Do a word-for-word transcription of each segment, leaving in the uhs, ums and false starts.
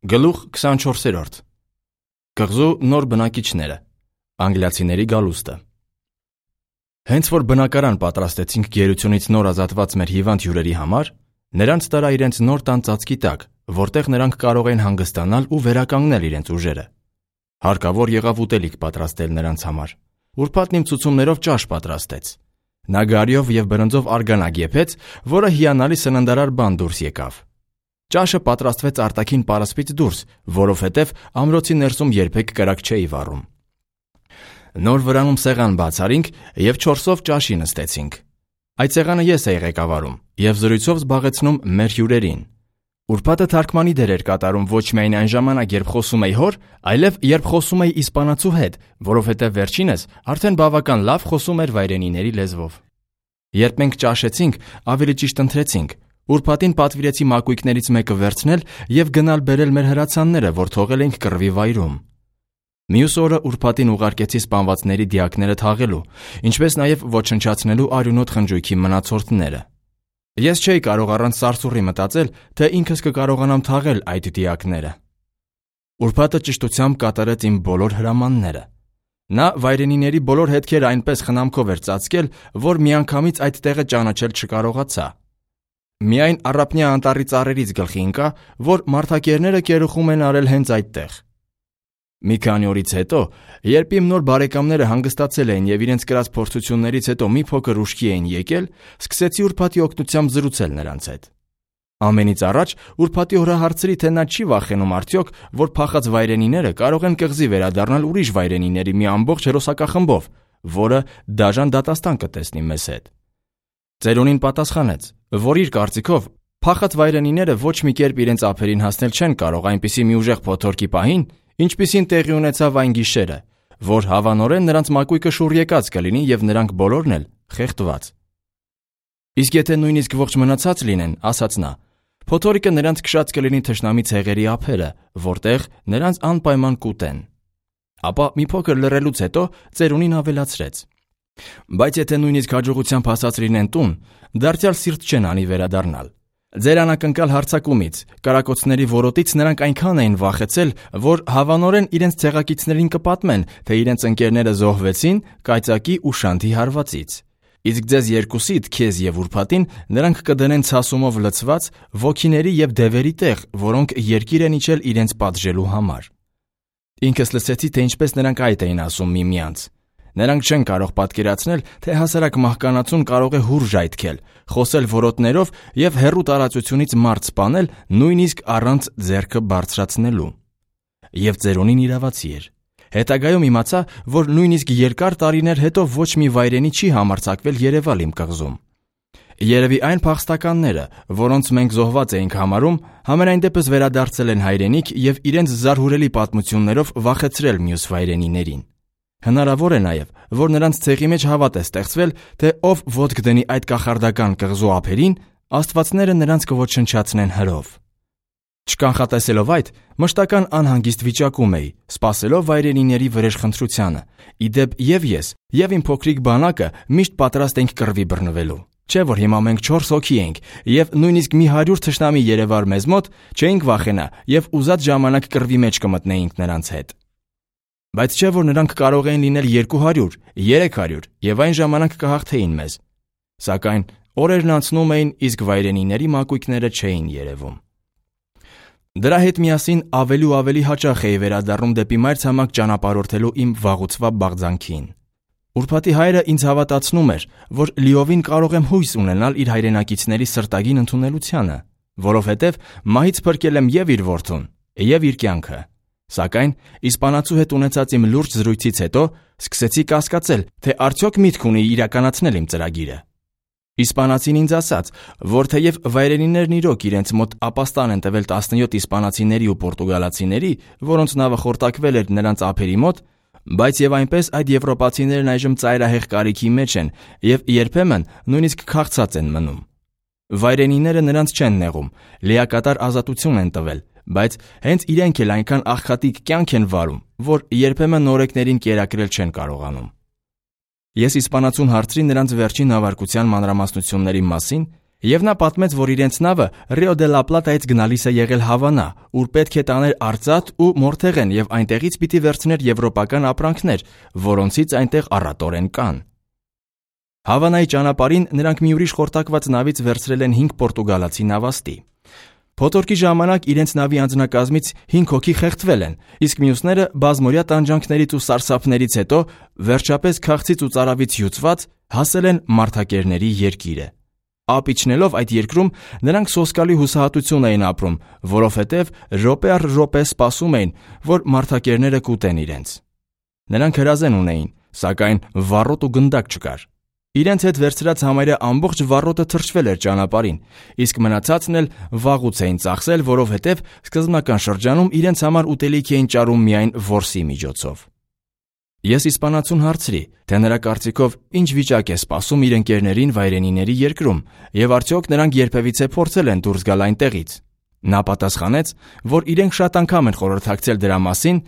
Գլուխ քսանչորսերորդ Կղզու նոր բնակիչները Անգլիացիների գալուստը Հենց որ բնակարան պատրաստեցինք գերությունից նոր ազատված մեր հիվանդ հյուրերի համար, նրանց տարա իրենց նոր տան ծածկի տակ, որտեղ նրանք կարող են հանգստանալ ու վերականգնել իրենց ուժերը։ Հարկավոր եղավ ուտելիք պատրաստել նրանց համար։ Ուրբաթն իմ ցուցումներով ճաշ պատրաստեց։ Նա գարիով և բրնձով արգանակ եփեց, որը հիանալի սննդարար բան դուրս եկավ։ Ճաշը պատրաստվեց արտաքին պարսպից դուրս, որովհետև ամրոցի ներսում երբեք կրակ չէի վառում։ Նոր վրանում սեղան բացարինք և չորսով ճաշի նստեցինք։ Այդ սեղանը ես էի ղեկավարում և զրույցով զբաղեցնում մեր հյուրերին։ Ուրբաթը թարգմանի դեր էր կատարում ոչ միայն այն ժամանակ, երբ խոսում էի հոր, այլև երբ խոսում էի իսպանացու հետ, որովհետև վերջինս արդեն բավական լավ խոսում էր վայրենիների լեզվով։ Երբ մենք ճաշեցինք, ավելի ճիշտ ընթրեցինք, ուրբաթին պատվիրեցի մակույկներից մեկը վերցնել և գնալ բերել մեր հրացանները, որ թողել էինք կռվի վայրում։ Մյուս օրը ուրբաթին ուղարկեցի սպանվածների դիակները թաղելու, ինչպես նաև ոչնչացնելու արյունոտ խնջույքի մնացորդները։ Ես չէի կարող առանց սարսուռի մտածել, թե ինքս կկարողանամ թաղել այդ դիակները։ Ուրբաթը ճշտությամբ կատարեց իմ բոլոր հրամանները։ Նա վայրենիների բոլոր հետքերը այնպես խնամքով էր ծածկել, որ միանգամից այդ տեղը ճանաչել չկարողացա։ Միայն առափնյա անտառի ծառերից գլխի ընկա, որ մարդակերները կերուխում են արել հենց այդտեղ։ Մի քանի օրից հետո, երբ իմ նոր բարեկամները հանգստացել էին և իրենց կրած փորձություններից հետո մի փոքր ուշքի էին եկել, սկսեցի ուրբաթի օգնությամբ զրուցել նրանց հետ։ Ամենից առաջ ուրբաթի օրը հարցրի, թե նա չի վախենում արդյոք, որ փախած վայրենիները կարող են կղզի վերադառնալ ուրիշ վայրենիների մի ամբողջ հերոսակախմբով, որը դաժան դատաստան կտեսնի մեզ հետ։ Ծերունին պատասխանեց, որ իր կարծիքով փախած վայրենիները ոչ մի կերպ իրենց ափերին հասնել չեն կարող այնպիսի մի ուժեղ փոթորկի պահին, ինչպիսին տեղի ունեցավ այն գիշերը, որ հավանորեն նրանց մակույկը շուռ եկած կլինի և նրանք բոլորն էլ խեղդված։ Իսկ եթե նույնիսկ ողջ մնացած լինեն, ասաց նա, փոթորիկը նրանց քշած կլինի թշնամի ցեղերի ափերը, որտեղ նրանց անպայման կուտեն։ Ապա մի փոքր լռելուց հետո ծերունին ավելացրեց. Բայց եթե նույնիսկ հաջողությամբ հասած լինեն տուն, դարձյալ սիրտ չեն անի վերադառնալ։ Ձեր անակնկալ հարձակումից, կրակոցների որոտից նրանք այնքան էին վախեցել, որ հավանորեն իրենց ցեղակիցներին կպատմեն, թե իրենց ընկերները զոհվեցին կայծակի ու շանթի հարվածից։ Իսկ ձեզ երկուսիդ, քեզ և ուրբաթին, նրանք կդնեն ցասումով լցված ոգիների և դևերի տեղ, որոնք երկիր են իջել իրենց պատժելու համար։ Ինքս լսեցի, թե ինչպես նրանք այդ էին ասում միմյանց։ Նրանք չեն կարող պատկերացնել, թե հասարակ մահկանացուն կարող է հուր ժայթքել, խոսել որոտներով և հեռու տարածությունից մարդ սպանել, նույնիսկ առանց ձեռքը բարձրացնելու։ Եվ ծերունին իրավացի էր։ Հետագայում իմացա, որ նույնիսկ երկար տարիներ հետո ոչ մի վայրենի չի համարձակվել երևալ իմ կղզում։ Երևի այն փախստականները, որոնց մենք զոհված էինք համարում, համենայն դեպս վերադարձել են հայրենիք և իրենց զարհուրելի պատմություններով վախեցրել մյուս վայրենիներին։ Հնարավոր է նաև, որ նրանց ցեղի մեջ հավատ է ստեղծվել, թե ով ոտք դնի այդ կախարդական կղզու ափերին, աստվածները նրանց կոչնչացնեն հրով։ Չկանխատեսելով այդ, մշտական անհանգիստ վիճակում էի, սպասելով վայրենիների վրեժխնդրությանը, ի դեպ և ես, և իմ փոքրիկ բանակը միշտ պատրաստ ենք կռվի բռնվելու։ Չէ՞ որ հիմա մենք չորս հոգի ենք, և նույնիսկ մի հարյուր թշնամի երևար մեզ մոտ, չէինք վախենա և ուզած ժամանակ կռվի մեջ կմտնեինք նրանց հետ։ Բայց չէ՞ որ նրանք կարող էին լինել երկու հարյուր, երեք հարյուր և այն ժամանակ կհաղթեին մեզ։ Սակայն օրերն անցնում էին, իսկ վայրենիների մակույկները չէին երևում։ Դրա հետ միասին ավելի ու ավելի հաճախ էի վերադառնում դեպի մայրցամաք ճանապարհորդելու իմ վաղուցվա բաղձանքին։ Ուրբաթի հայրը ինձ հավատացնում էր, որ լիովին կարող եմ հույս ունենալ իր հայրենակիցների սրտագին ընդունելությանը, որովհետև մահից փրկել եմ և իր որդուն, և իր կյանքը։ Սակայն իսպանացու հետ ունեցած իմ լուրջ զրույցից հետո սկսեցի կասկածել, թե արդյոք միտք ունի իրականացնել իմ ծրագիրը։ Իսպանացին ինձ ասաց, որ թեև վայրենիներն իրոք իրենց մոտ ապաստան են տվել տասնյոթ իսպանացիների ու պորտուգալացիների, որոնց նավը խորտակվել էր նրանց ափերի մոտ, բայց և այնպես այդ եվրոպացիներն այժմ ծայրահեղ կարիքի մեջ են և երբեմն նույնիսկ քաղցած են մնում։ Վայրենիները նրանց չեն նեղում, լիակատար ազատություն են տվել, բայց հենց իրենք էլ այնքան աղքատիկ կյանք են վարում, որ երբեմն նորեկներին կերակրել չեն կարողանում։ Ես իսպանացուն հարցրի նրանց վերջին նավարկության մանրամասնությունների մասին Եվ նա պատմեց, որ իրենց նավը Ռիո դե լա Պլատայից գնալիս է եղել Հավանա, ուր պետք է տաներ արծաթ ու մորթեղեն եւ այնտեղից պիտի վերցներ եվրոպական ապրանքներ, որոնցից այնտեղ առատորեն կան։ Հավանայի ճանապարհին նրանք մի ուրիշ խորտակված նավից վերցրել են հինգ պորտուգալացի նավաստի։ Փոթորկի ժամանակ իրենց նավի անձնակազմից հինգ հոգի խեղդվել են, իսկ մյուսները բազմօրյա տանջանքներից ու սարսափներից հետո վերջապես քաղցից ու ծարավից հյուծված հասել են Մարդակերների երկիրը։ Ափ իջնելով այդ երկրում նրանք սոսկալի հուսահատություն էին ապրում, որովհետև րոպե առ րոպե սպասում էին, որ մարդակերները կուտեն իրենց։ Նրանք հրազեն ունեին, սակայն վառոտ ու գնդակ չկար։ Իրենց հետ վերցրած համարյա ամբողջ վառոտը թրջվել էր ճանապարհին, իսկ մնացածն էլ վաղուց էին ծախսել, որովհետև սկզբնական շրջանում իրենց համար ուտելիք էին ճարում միայն որսի միջոցով։ Ես իսպանացուն հարցրի, թե նրա կարծիքով ինչ վիճակ է սպասում իր ընկերներին վայրենիների երկրում եւ արդյոք նրանք երբևիցե փորձել են դուրս գալ այնտեղից։ Նա պատասխանեց, որ իրենք շատ անգամ են խորհրդակցել դրա մասին,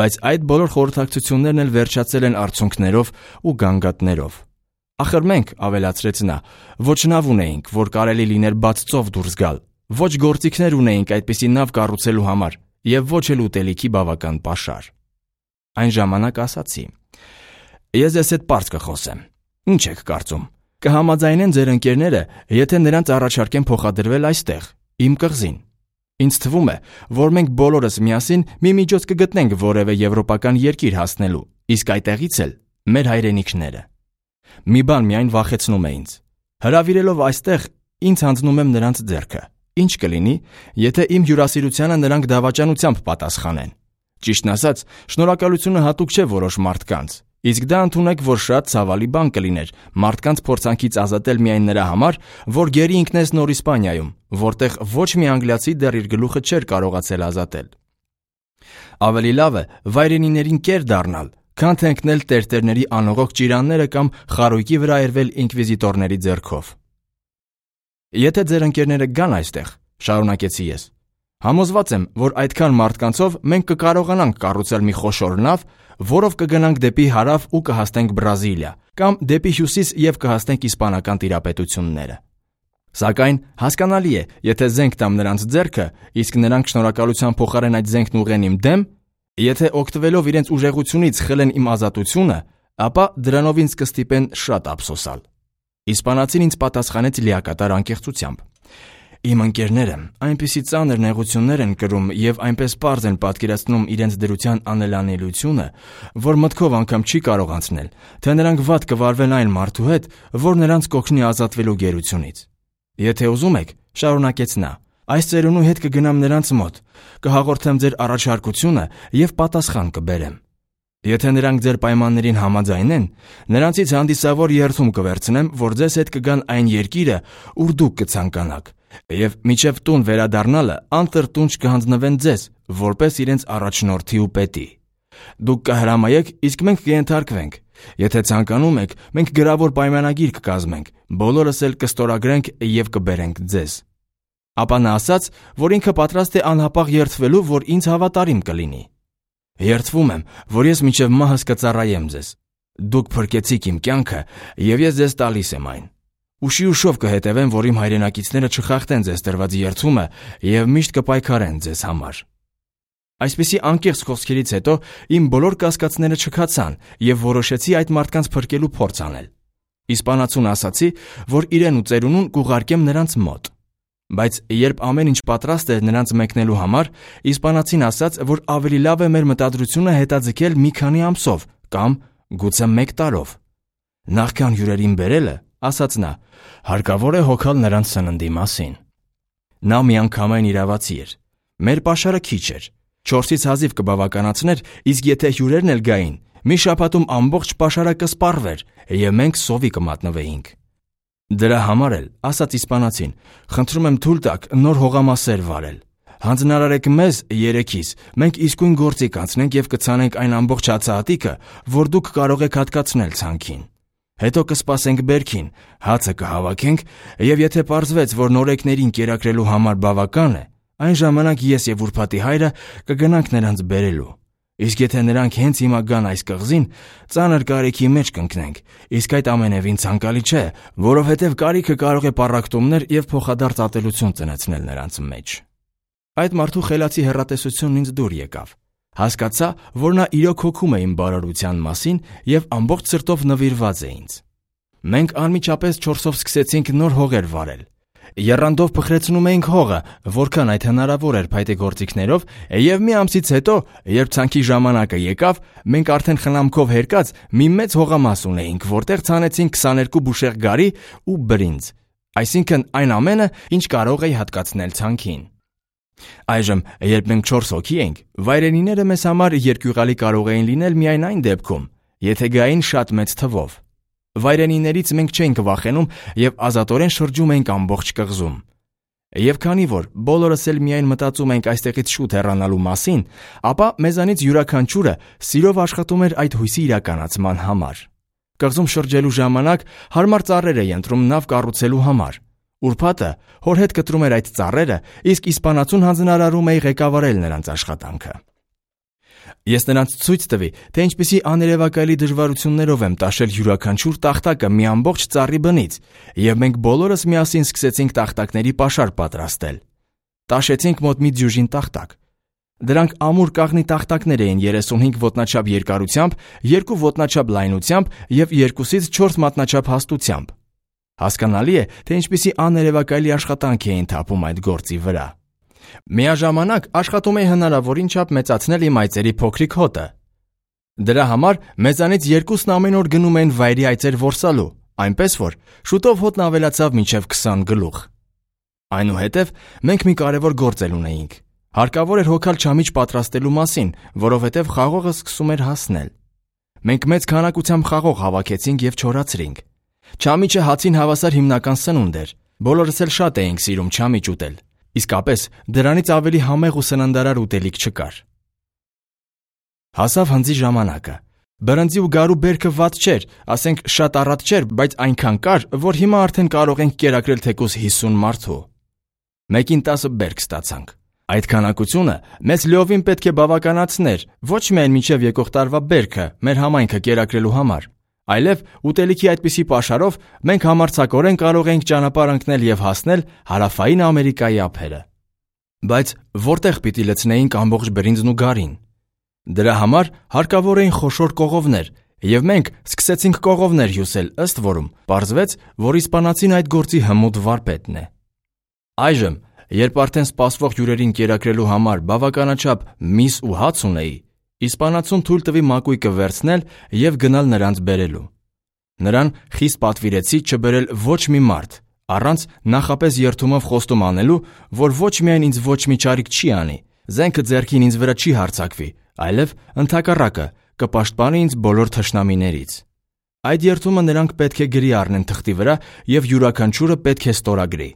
բայց այդ բոլոր խորհրդակցություններն էլ վերջացել են արդյունքներով ու գանգատներով։ Ախր մենք, ավելացրեց նա, ոչ նավ ունեինք, որ կարելի լիներ բաց ծով դուրս գալ, ոչ գործիքներ ունեինք այդպիսի նավ կառուցելու համար եւ ոչ էլ ուտելիքի բավական պաշար։ Այն ժամանակ ասացի. Ես ես հետ պարզ կխոսեմ։ Ինչ եք կարծում։ Կհամաձայնեն ձեր ընկերները, եթե նրանց առաջարկեն փոխադրվել այստեղ, իմ կղզին։ Ինձ թվում է, որ մենք բոլորս միասին մի միջոց կգտնենք որևէ եվրոպական երկիր հասնելու, իսկ այդտեղից էլ մեր հայրենիքները։ Մի բան միայն վախեցնում է ինձ։ Հրավիրելով այստեղ, ինձ հանձնում եմ նրանց ձեռքը։ Ինչ կլինի, եթե իմ հյուրասիրությանը նրանք դավաճանությամբ պատասխանեն։ Ճիշտն ասած, շնորհակալությունը հատուկ չէ որոշ մարդկանց, իսկ դա ընդունեք, որ շատ ցավալի բան կլիներ մարդկանց փորձանքից ազատել միայն նրա համար, որ գերի ինքնես նոր Իսպանիայում, որտեղ ոչ մի անգլիացի դեռ իր գլուխը չէր կարողացել ազատել։ Ավելի լավ է վայրենիներին կեր դառնալ, քան թե ընկնել տերտերների անողոք ճիրանները կամ խարույկի վրա երվել ինկվիզիտորների ձեռքով։ Եթե ձեր ընկերները գան այստեղ, շարունակեցի ես, համոզված եմ, որ այդքան մարդկանցով մենք կկարողանանք կառուցել մի խոշոր նավ, որով կգնանք դեպի հարավ ու կհասնենք Բրազիլիա, կամ դեպի հյուսիս եւ կհասնենք իսպանական տիրապետությունները։ Սակայն հասկանալի է, եթե զենք տամ նրանց ձեռքը, իսկ նրանք շնորհակալության փոխարեն այդ զենքն ուղղեն իմ դեմ, եթե օգտվելով իրենց ուժեղությունից խլեն իմ ազատությունը, ապա դրանով ինձ կստիպեն շատ ափսոսալ։ Իսպանացին ինձ պատասխանեց լիակատար անկեղծությամբ։ Իմ ընկերները այնպիսի ծանր նեղություններ են կրում եւ այնպես պարզ են պատկերացնում իրենց դրության անելանելիությունը, որ մտքով անգամ չի կարող անցնել, թե նրանք վատ կվարվեն այն մարդու հետ, որ նրանց կօգնի ազատվելու գերությունից։ Եթե ուզում եք, շարունակեց նա, այս ծերունու հետ կգնամ նրանց մոտ, կհաղորդեմ ձեր առաջարկությունը եւ պատասխան կբերեմ։ Եթե նրանք ձեր պայմաններին համաձայնեն, նրանցից հանդիսավոր երթում կվերցնեմ, որ ձեզ հետ կգան այն երկիրը, ուր դուք կցանկանաք, եւ մինչև տուն վերադառնալը անտրտունջ կհանձնվեն ձեզ, որպես իրենց առաջնորդի ու պետի։ Դուք կհրամայեք, իսկ մենք կենթարկվենք։ Եթե ցանկանում եք, մենք գրավոր պայմանագիր կկազմենք, բոլորս էլ կստորագրենք եւ կբերենք ձեզ։ Ապա նա ասաց, որ ինքը պատրաստ է անհապաղ երթվելու, որ ինձ հավատարիմ կլինի։ Երդվում եմ, որ ես մինչև մահս կծառայեմ ձեզ։ Դուք փրկեցիք իմ կյանքը, եւ ես ձեզ տալիս եմ այն։ Ուշի ուշով կհետևեմ, որ իմ հայրենակիցները չխախտեն ձեզ տրված երդումը եւ միշտ կպայքարեն ձեզ համար։ Այսպիսի անկեղծ խոսքերից հետո իմ բոլոր կասկածները չքացան եւ որոշեցի այդ մարդկանց փրկելու փորձ անել։ Իսպանացուն ասացի, որ իրեն ու ծերունուն կուղարկեմ նրանց մոտ։ Բայց երբ ամեն ինչ պատրաստ էր նրանց մեկնելու համար, իսպանացին ասաց, որ ավելի լավ է մեր մտադրությունը հետաձգել մի քանի ամսով կամ գուցե մեկ տարով։ Նախքան հյուրերին բերելը, ասաց նա, հարկավոր է հոգալ նրանց սննդի մասին։ Նա միանգամայն իրավացի էր։ Մեր պաշարը քիչ էր, չորսից հազիվ կբավականացներ, իսկ եթե հյուրերն էլ գային, մի շաբաթում ամբողջ պաշարը կսպառվեր եւ մենք սովի կմատնվեինք։ Դրա համար էլ, ասաց իսպանացին, խնդրում եմ թույլ տաք նոր հողամասեր վարել։ Հանձնարարեք մեզ երեքիս, մենք իսկույն գործի կանցնենք եւ կցանենք այն ամբողջ հացահատիկը, որ դուք կարող եք հատկացնել ցանքին։ Հետո կսպասենք բերքին, հացը կհավաքենք եւ եթե պարզվեց, որ նորեկներին կերակրելու համար բավական է, այն ժամանակ ես եւ ուրբաթի հայրը կգնանք նրանց բերելու։ Իսկ եթե նրանք հենց հիմա գան այս կղզին, ծանր կարիքի մեջ կընկնենք, իսկ այդ ամենևին ցանկալի չէ, որովհետև կարիքը կարող է պառակտումներ և փոխադարձ ատելություն ծնեցնել նրանց մեջ։ Այդ մարդու խելացի հեռատեսությունն ինձ դուր եկավ։ Հասկացա, որ նա իրոք հոգում է իմ բարօրության մասին և ամբողջ սրտով նվիրված է ինձ։ Մենք անմիջապես չորսով սկսեցինք նոր հողեր վարել։ Եռանդով փխրեցնում էինք հողը, որքան այդ հնարավոր էր փայտե գործիքներով, և մի ամսից հետո, երբ ցանքի ժամանակը եկավ, մենք արդեն խնամքով հերկած մի մեծ հողամաս ունեինք, որտեղ ցանեցինք քսաներկու բուշեղ գարի ու բրինձ, այսինքն այն ամենը, ինչ կարող էի հատկացնել ցանքին։ Այժմ, երբ մենք չորս հոգի էինք, վայրենիները մեզ համար երկյուղալի կարող էին լինել միայն այն դեպքում, եթե գային շատ մեծ թվով։ Վայրենիներից մենք չէինք վախենում և ազատորեն շրջում էինք ամբողջ կղզում։ Եվ քանի որ բոլորս էլ միայն մտածում էինք այստեղից շուտ հեռանալու մասին, ապա մեզանից յուրաքանչյուրը սիրով աշխատում էր այդ հույսի իրականացման համար։ Կղզում շրջելու ժամանակ հարմար ծառեր էի ընտրում նավ կառուցելու համար։ Ուրբաթը հոր հետ կտրում էր այդ ծառերը, իսկ իսպանացուն հանձնարարում էի ղեկավարել նրանց աշխատանքը։ Ես նրանց ցույց տվի, թե ինչպիսի աներևակայելի դժվարություններով եմ տաշել յուրաքանչյուր տախտակը մի ամբողջ ծառի բնից, և մենք բոլորս միասին սկսեցինք տախտակների պաշար պատրաստել։ Տաշեցինք մոտ մի դյուժին տախտակ։ Դրանք ամուր կաղնի տախտակներ էին երեսունհինգ ոտնաչափ երկարությամբ, երկու ոտնաչափ լայնությամբ և երկուսից չորս մատնաչափ հաստությամբ։ Հասկանալի է, թե ինչպիսի աներևակայելի աշխատանք էին թափում այդ գործի վրա։ Միաժամանակ աշխատում էի հնարավորին չափ մեծացնել իմ այծերի փոքրիկ հոտը։ Դրա համար մեզանից երկուսն ամեն օր գնում էին վայրի այծեր որսալու, այնպես որ շուտով հոտն ավելացավ մինչև քսան գլուխ։ Այնուհետև մենք մի կարևոր գործ էլ ունեինք։ Հարկավոր էր հոգալ չամիչ պատրաստելու մասին, որովհետև խաղողը սկսում էր հասնել։ Մենք մեծ քանակությամբ խաղող հավաքեցինք և չորացրինք։ Չամիչը հացին հավասար հիմնական սնունդ էր։ Բոլորս էլ շատ էինք սիրում չամիչ ուտել։ Իսկապես, դրանից ավելի համեղ ու սննդարար ուտելիք չկար։ Հասավ հնձի ժամանակը։ Բրնձի ու գարու բերքը վատ չէր, ասենք շատ առատ չէր, բայց այնքան կար, որ հիմա արդեն կարող ենք կերակրել թեկուզ հիսուն մարդու։ Մեկին տասը բերք ստացանք։ Այդ քանակությունը մեզ լիովին պետք է բավականացներ ոչ միայն մինչև եկող տարվա բերքը մեր համայնքը կերակրելու համար, այլև ուտելիքի այդպիսի պաշարով մենք համարձակորեն կարող ենք ճանապարհ ընկնել և հասնել հարավային Ամերիկայի ափերը։ Բայց որտեղ պիտի լցնեինք ամբողջ բրինձն ու գարին։ Դրա համար հարկավոր էին խոշոր կողովներ, և մենք սկսեցինք կողովներ հյուսել, ըստ որում պարզվեց, որ իսպանացին այդ գործի հմուտ վարպետն է։ Այժմ, երբ արդեն սպասվող հյուրերին կերակրելու համար բավականաչափ միս ու հաց ունեի, իսպանացուն թույլ տվի մակույկը վերցնել և գնալ նրանց բերելու։ Նրան խիստ պատվիրեցի չբերել ոչ մի մարդ, առանց նախապես երդումով խոստում անելու, որ ոչ միայն ինձ ոչ մի չարիք չի անի, զենքը ձեռքին ինձ վրա չի հարձակվի, այլև ընդհակառակը կպաշտպանի ինձ բոլոր թշնամիներից։ Այդ երդումը նրանք պետք է գրի առնեն թղթի վրա և յուրաքանչյուրը պետք է ստորագրի։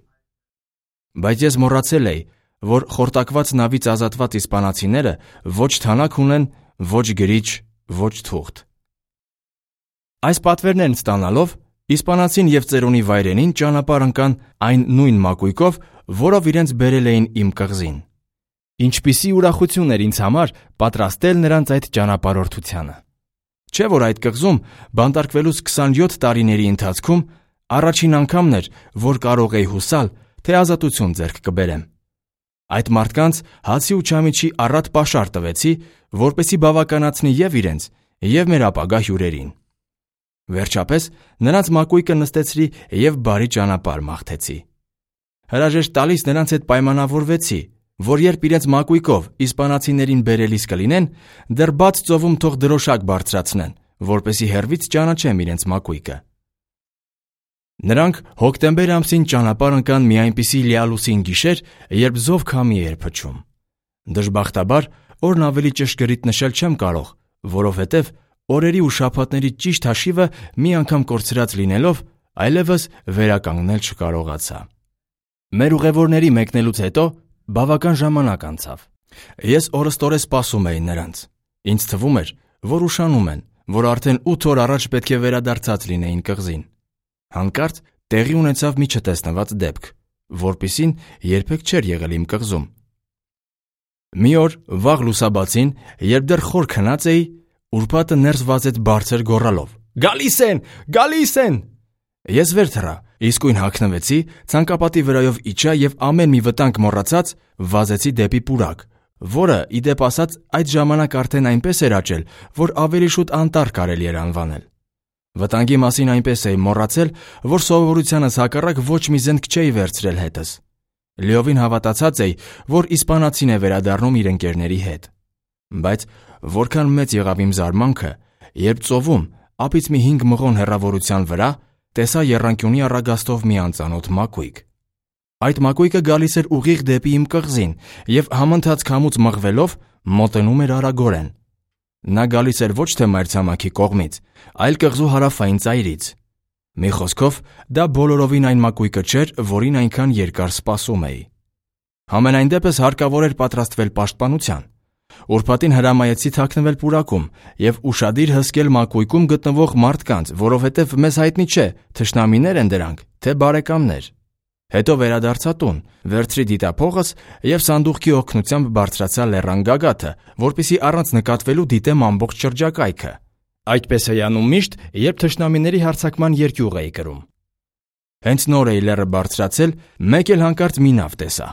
Բայց ես մոռացել էի, որ խորտակված նավից ազատված իսպանացիները ոչ թանաք ունեն, ոչ գրիչ, ոչ թուղթ։ Այս պատվերներն ստանալով, իսպանացին և ծերունի վայրենին ճանապարհ ընկան այն նույն մակույկով, որով իրենց բերել էին իմ կղզին։ Ինչպիսի ուրախություն էր ինձ համար պատրաստել նրանց այդ ճանապարհորդությանը։ Չէ՞ որ այդ կղզում բանտարկվելուց քսանյոթ տարիների ընթացքում առաջին անգամն էր, որ կարող էի հուսալ, թե ազատություն ձեռք կբերեմ։ Այդ մարդկանց հացի ու չամիչի առատ պաշար տվեցի, որպեսզի բավականացնի և իրենց, և մեր ապագա հյուրերին։ Վերջապես նրանց մակույկը նստեցրի և բարի ճանապարհ մաղթեցի։ Հրաժեշտ տալիս նրանց հետ պայմանավորվեցի, որ երբ իրենց մակույկով իսպանացիներին բերելիս կլինեն, դեռ բաց ծովում թող դրոշակ բարձրացնեն, որպեսզի հեռվից ճանաչեմ իրենց մակույկը։ Նրանք հոկտեմբեր ամսին ճանապարհ ընկան մի այնպիսի լիալուսին գիշեր, երբ զով քամի էր փչում։ Դժբախտաբար օրն ավելի ճշգրիտ նշել չեմ կարող, որովհետև օրերի ու շաբաթների ճիշտ հաշիվը մի անգամ կորցրած լինելով, այլևս վերականգնել չկարողացա։ Մեր ուղևորների մեկնելուց հետո բավական ժամանակ անցավ։ Ես օրըստօրե սպասում էի նրանց։ Ինձ թվում էր, որ ուշանում են, որ արդեն ութ օր առաջ պետք է վերադարձած լինեին կղզին։ Հանկարծ տեղի ունեցավ մի չտեսնված դեպք, որպիսին երբեք չէր եղել իմ կղզում։ Մի օր վաղ լուսաբացին, երբ դեռ խոր քնած էի, ուրբաթը ներս վազեց բարձր գոռալով. «Գալիս են, գալիս են»։ Ես վեր թռա, իսկույն հագնվեցի, ցանկապատի վրայով իջա եւ ամեն մի վտանգ մոռացած վազեցի դեպի պուրակ, որը, ի դեպ ասած, այդ ժամանակ արդեն այնպես էր աճել, որ ավելի շուտ անտառ կարելի էր անվանել։ Վտանգի մասին այնպես էի մոռացել, որ սովորությանս հակառակ ոչ մի զենք չէի վերցրել հետս։ Լիովին հավատացած էի, որ իսպանացին է վերադառնում իր ընկերների հետ։ Բայց որքան մեծ եղավ իմ զարմանքը, երբ ծովում, ափից մի հինգ մղոն հեռավորության վրա տեսա եռանկյունի առագաստով մի անծանոթ մակույկ։ Այդ մակույկը գալիս էր ուղիղ դեպի իմ կղզին եւ համընթաց քամուց մղվելով մոտենում էր արագորեն։ Նա գալիս էր ոչ թե մայրցամաքի կողմից, այլ կղզու հարավային ծայրից։ Մի խոսքով, դա բոլորովին այն մակույկը չէր, որին այնքան երկար սպասում էի։ Համենայն դեպս հարկավոր էր պատրաստվել պաշտպանության։ Ուրբաթին հրամայեցի թաքնվել պուրակում եւ ուշադիր հսկել մակույկում գտնվող մարդկանց, որովհետեւ մեզ հայտնի չէ, թշնամիներ են դրանք, թե բարեկամներ։ Հետո վերադարձա տուն, վերցրի դիտափողս եւ սանդուղքի օգնությամբ բարձրացա լեռան գագաթը, որպեսզի առանց նկատվելու դիտեմ ամբողջ շրջակայքը։ Այդպես էի անում միշտ, երբ թշնամիների հարձակման երկյուղ էի կրում։ Հենց նոր էի լեռը բարձրացել, մեկ էլ հանկարծ մի նավ տեսա։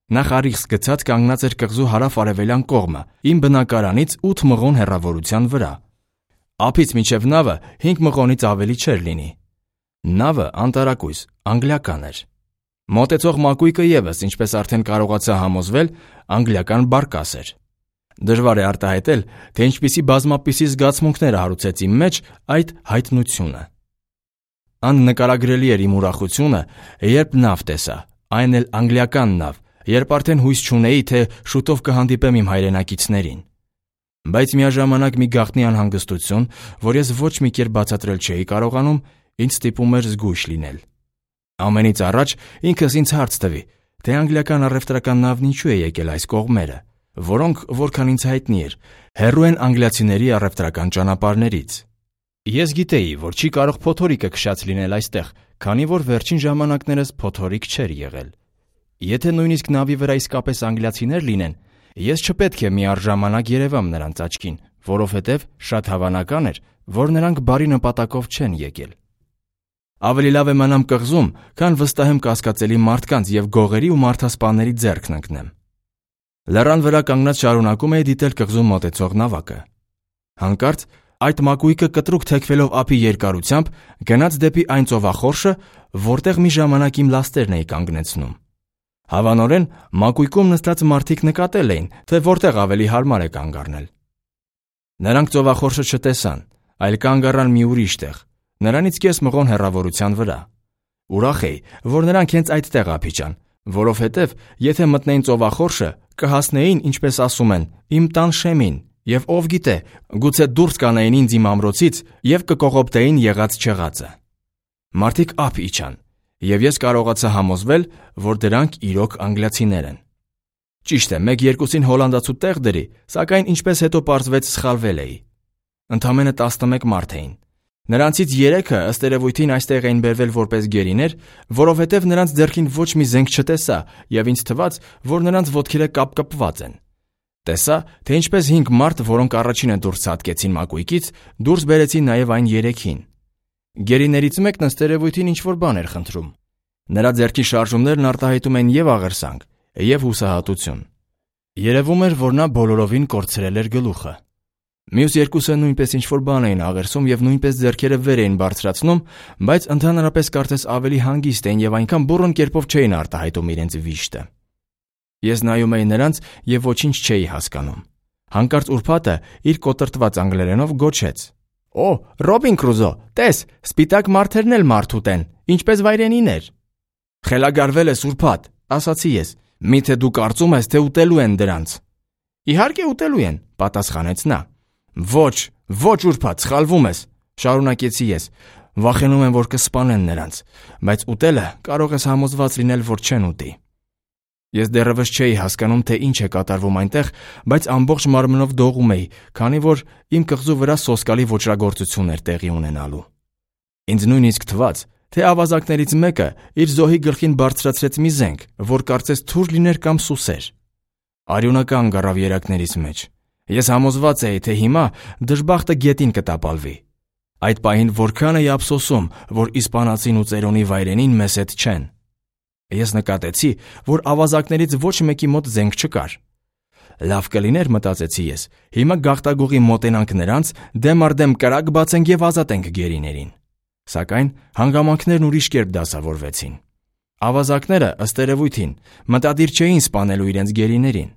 Նա խարիղս գցած կանգնած էր կղզու հարավ-արևելյան կողմը, իմ բնակարանից ութ մղոն հեռավորության վրա։ Ափից մինչև նավը հինգ մղոնից ավելի չէր լինի։ Նավը անտարակույս, անգլիական էր։ Մոտեցող մակույկը ևս, ինչպես արդեն կարողացա համոզվել, անգլիական բարկաս էր։ Դժվար է արտահայտել, թե ինչպիսի բազմապիսի զգացմունքներ հարուցեց իմ մեջ այդ հայտնությունը։ Աննկարագրելի էր իմ ուրախությունը, երբ նավ տեսա, այն էլ անգլիական նավ, երբ արդեն հույս չունեի, թե շուտով կհանդիպեմ իմ հայրենակիցներին։ Բայց միաժամանակ մի գաղտնի անհանգստություն, որ ես ոչ մի կերպ բացատրել չէի կարողանում, ինձ ստիպում էր զգույշ լինել։ Ամենից առաջ ինքս ինձ հարց տվի, թե անգլիական առևտրական նավն ինչու է եկել այս կողմերը, որոնք, որքան ինձ հայտնի էր, հեռու են անգլիացիների առևտրական ճանապարհներից։ Ես գիտեի, որ չի կարող փոթորիկը քշած լինել այստեղ, քանի որ վերջին ժամանակներս փոթորիկ չէր եղել։ Եթե նույնիսկ նավի վրա իսկապես անգլիացիներ լինեն, ես չպետք է միառժամանակ երևամ նրանց աչքին, որովհետև շատ հավանական էր, որ նրանք բարի նպատակով չեն եկել։ Ավելի լավ է մնամ կղզում, քան վստահեմ կասկածելի մարդկանց եւ գողերի ու մարդասպաների ձեռքն ընկնեմ։ Լեռան վրա կանգնած շարունակում էի դիտել կղզում մոտեցող նավակը։ Հանկարծ այդ մակույկը կտրուկ թեքվելով ափի երկարությամբ գնաց դեպի այն ծովախորշը, որտեղ մի ժամանակ իմ լաստերն էի կանգնեցնում։ Հավանորեն մակույկում նստած մարդիկ նկատել էին, թե որտեղ ավելի հարմար է կանգ առնել։ Նրանք ծովախորշը չտեսան, այլ կանգ առան մի ուրիշ տեղ, նրանից կես մղոն հեռավորության վրա։ Ուրախ էի, որ նրանք հենց այդտեղ ափիճան, որովհետև եթե մտնեին ծովախորշը, կհասնեին, ինչպես ասում են, իմ տան շեմին, եւ ով գիտե, գուցե դուրս կանեին ինձ իմ ամրոցից եւ կկողոպտեին եղած չեղածը։ Մարդիկ ափ իջան, եւ ես կարողացա համոզվել, որ դրանք իրոք անգլիացիներ են։ Ճիշտ է, մեկ-երկուսին հոլանդացու տեղ դրի, սակայն ինչպես հետո պարզվեց սխալվել էի։ Ընդամենը տասնմեկ մարդ էին։ Նրանցից երեքը ըստ երևույթին այստեղ էին բերվել որպես գերիներ, որովհետև նրանց ձեռքին ոչ մի զենք չտեսա եւ ինձ թվաց, որ նրանց ոտքերը կապկպված են։ Տեսա, թե ինչպես հինգ մարդ, որոնք առաջինը դուրս ցատկեցին մակույկից, դուրս բերեցին նաեւ այն երեքին։ Գերիներից մեկն ըստ երևույթին ինչ-որ բան էր խնդրում։ Նրա ձեռքի շարժումներն արտահայտում են եւ աղերսանք, եւ հուսահատություն։ Երևում էր, որ նա բոլորովին կորցրել էր գլուխը։ Մյուս երկուսը նույնպես ինչ-որ բան էին աղերսում եւ նույնպես ձեռքերը վեր էին բարձրացնում, բայց ընդհանրապես կարծես ավելի հանգիստ էին եւ այնքան բուռն կերպով չէին արտահայտում իրենց վիշտը։ Ես նայում էի նրանց եւ ոչինչ չէի հասկանում։ Հանկարծ ուրբաթը իր կոտրտված անգլերենով գոչեց. «Օ, Ռոբին Կրուզո, տես, սպիտակ մարդերն էլ մարդ ուտեն, ինչպես վայրենիներ»։ «Խելագարվել ես ուրբաթ», ասացի ես։ «Միթե դու կարծում ես, թե ուտելու են դրանց»։ «Իհարկե ուտելու են», պատասխանեց նա։ «Ոչ, ոչ ուրբաթ, սխալվում ես», շարունակեցի ես։ «Վախենում եմ, որ կսպանեն նրանց, բայց ուտելը կարող ես համոզված լինել, որ չեն ուտի»։ Ես դեռևս չէի հասկանում, թե ինչ է կատարվում այնտեղ, բայց ամբողջ մարմնով դողում էի, քանի որ իմ կղզու վրա սոսկալի ոճրագործություն էր տեղի ունենալու։ Ինձ նույնիսկ թվաց, թե ավազակներից մեկը իր զոհի գլխին բարձրացրեց մի զենք, որ կարծես թուր լիներ կամ սուսեր։ Արյունական գռավ երակներից մեջ։ Ես համոզված էի, թե հիմա դժբախտը գետին կտապալվի։ Այդ պահին որքան էի ափսոսում, որ իսպանացին ու ծերոնի վայրենին մեզ հետ չեն։ Ես նկատեցի, որ ավազակներից ոչ մեկի մոտ զենք չկար։ Լավ կլիներ, մտածեցի ես, հիմա գաղտագողի մոտենանք նրանց, դեմ առ դեմ կրակ բացենք եւ ազատենք գերիներին։ Սակայն հանգամանքներն ուրիշ կերպ դասավորվեցին։ Ավազակները, ըստ երևույթին, մտադիր չէին սպանելու իրենց գերիներին։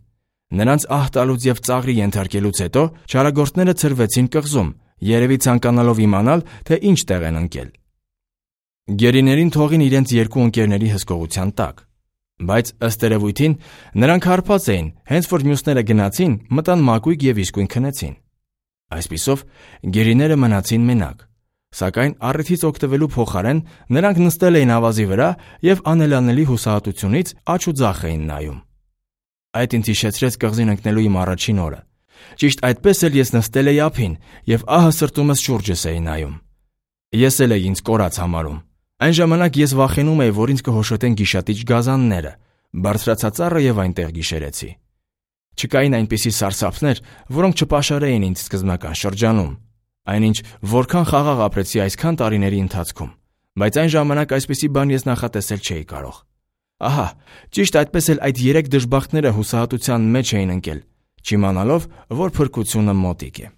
Նրանց ահ տալուց եւ ծաղրի ենթարկելուց հետո չարագործները ցրվեցին կղզում, երևի ցանկանալով իմանալ, թե ինչ տեղ են ընկել։ Գերիներին թողին իրենց երկու ընկերների հսկողության տակ, բայց ըստ երևույթին նրանք հարբած էին, հենց որ մյուսները գնացին, մտան մակույկ եւ իսկույն քնեցին։ Այսպիսով գերիները մնացին մենակ, սակայն առիթից օգտվելու փոխարեն նրանք նստել էին ավազի վրա եւ անելանելի հուսահատությունից աջ ու ձախ էին նայում։ Այդ ինձ հիշեցրեց կղզին ընկնելու իմ առաջին օրը։ Ճիշտ այդպես էլ ես նստել էի ափին եւ ահը սրտումս շուրջս էի նայում։ Ես էլ էի ինձ կորած համարում։ Այն ժամանակ ես վախենում էի, որ ինձ կհոշոտեն գիշատիչ գազանները, բարձրացա ծառը եւ այնտեղ գիշերեցի։ Չկային այնպիսի սարսափներ, որոնք չպաշարեին ինձ սկզբնական շրջանում։ Այնինչ որքան խաղաղ ապրեցի այսքան տարիների ընթացքում, բայց այն ժամանակ այսպիսի բան ես նախատեսել չէի կարող։ Ահա, ճիշտ այդպես էլ այդ երեք դժբախտները հուսահատության մեջ էին ընկել, չիմանալով, որ փրկությունը մոտիկ է։